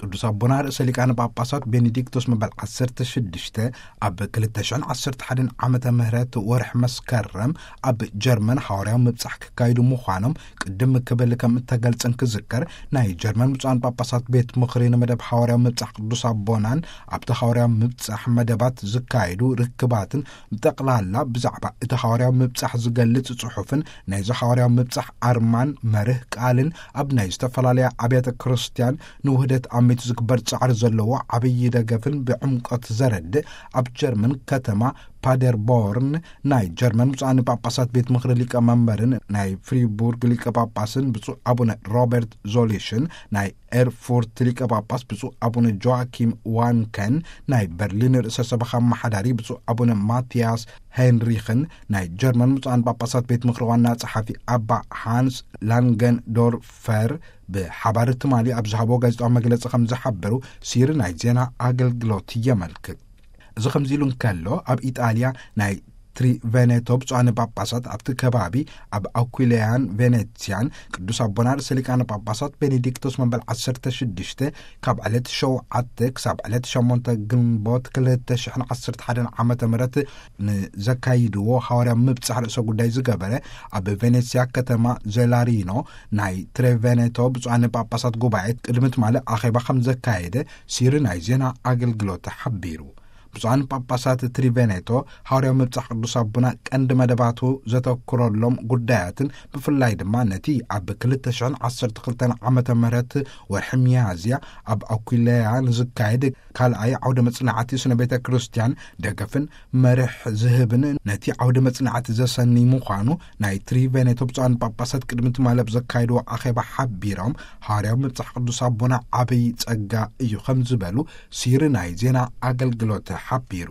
ቅዱስ ኣቦና ርእሰ ሊቃነ ጳጳሳት ቤኔዲክቶስ መበል ዓሰርተ ሽዱሽተ ኣብ ክልተ ሽሕን ዓሰርተ ሓደን ዓመተ ምህረት ወርሒ መስከረም ኣብ ጀርመን ሓዋርያዊ ምብጻሕ ክካይዱ ምዃኖም ቅድም ክብል ከም እተገልጸን ክዝከር፣ ናይ ጀርመን ብፁዓን ጳጳሳት ቤት ምኽሪ ንመደብ ሓዋርያዊ ምብጻሕ ቅዱስ ኣቦናን ኣብቲ ሓዋርያዊ ምብጻሕ መደባት ዝካየዱ ርክባትን ብጠቕላላ ብዛዕባ እቲ ሓዋርያዊ ምብጻሕ ዝገልጽ ጽሑፍን ናይዚ ሓዋርያዊ ምብጻሕ ኣርማን መርህ ቃልን ኣብ ናይ ዝተፈላለያ ኣብያተ ክርስቲያን ንውህደት ኣሚቱ ዝግበር ጻዕሪ ዘለዎ ዓብዪ ደገፍን ብዕምቆት ዘረድእ ኣብ ጀርመን ከተማ ፓደርቦርን ናይ ጀርመን ብፁዓን ጳጳሳት ቤት ምኽሪ ሊቀመንበርን ናይ ፍሪቡርግ ሊቀ ጳጳስን ብፁዕ ኣቡነ ሮበርት ዞሊሽን ናይ ኤርፉርት ሊቀ ጳጳስ ብፁዕ ኣቡነ ጆዋኪም ዋንከን ናይ በርሊን ርእሰ ሰበኻ ኣመሓዳሪ ብፁዕ ኣቡነ ማትያስ ሄንሪኽን ናይ ጀርመን ብፁዓን ጳጳሳት ቤት ምኽሪ ዋና ጸሓፊ ኣባ ሃንስ ላንገንዶርፈር ብሓባር ትማሊ ኣብ ዝሃቦ ጋዜጣዊ መግለጺ ከም ዝሓበሩ ሲሪ ናይ ዜና ኣገልግሎት የመልክት። እዚ ከምዚ ኢሉ እንከሎ፣ ኣብ ኢጣልያ ናይ ትሪቬኔቶ ብፁዓን ጳጳሳት ኣብቲ ከባቢ ኣብ ኣኩሊያን ቬኔትስያን ቅዱስ ኣቦና ርእሰ ሊቃነ ጳጳሳት ቤኔዲክቶስ መበል ዓሰርተ ሽዱሽተ ካብ ዕለት ሸውዓተ ክሳብ ዕለት ሸሞንተ ግንቦት ክልተ ሽሕን ዓሰርተ ሓደን ዓመተ ምህረት ንዘካይድዎ ሓዋርያ ምብጻሕ ርእሰ ጉዳይ ዝገበረ ኣብ ቬኔትስያ ከተማ ዜላሪኖ ናይ ትሬቬኔቶ ብፁዓን ጳጳሳት ጉባኤ ቅድሚ ትማሊ ኣኼባ ከም ዘካየደ ሲሪ ናይ ዜና ኣገልግሎት ሓቢሩ። ብፁዓን ጳጳሳት ትሪቬኔቶ ሓዋርያዊ ምብጻሕ ቅዱስ ኣቦና ቀንዲ መደባቱ ዘተኩረሎም ጉዳያትን ብፍላይ ድማ ነቲ ኣብ ክልተ ሽሕን ዓሰርተ ክልተን ዓመተ ምህረት ወርሒ ሚያዝያ ኣብ ኣኩለያ ንዝካየድ ካልኣይ ዓውደ መጽናዕቲ ስነ ቤተ ክርስቲያን ደገፍን መርሕ ዝህብን ነቲ ዓውደ መጽናዕቲ ዘሰኒ ምዃኑ ናይ ትሪቬኔቶ ብፁዓን ጳጳሳት ቅድሚ ትማሊ ኣብ ዘካየድዎ ኣኼባ ሓቢሮም፣ ሓዋርያዊ ምብጻሕ ቅዱስ ኣቦና ዓብይ ጸጋ እዩ ከም ዝበሉ ሲሪ ናይ ዜና ኣገልግሎት ሓቢሩ።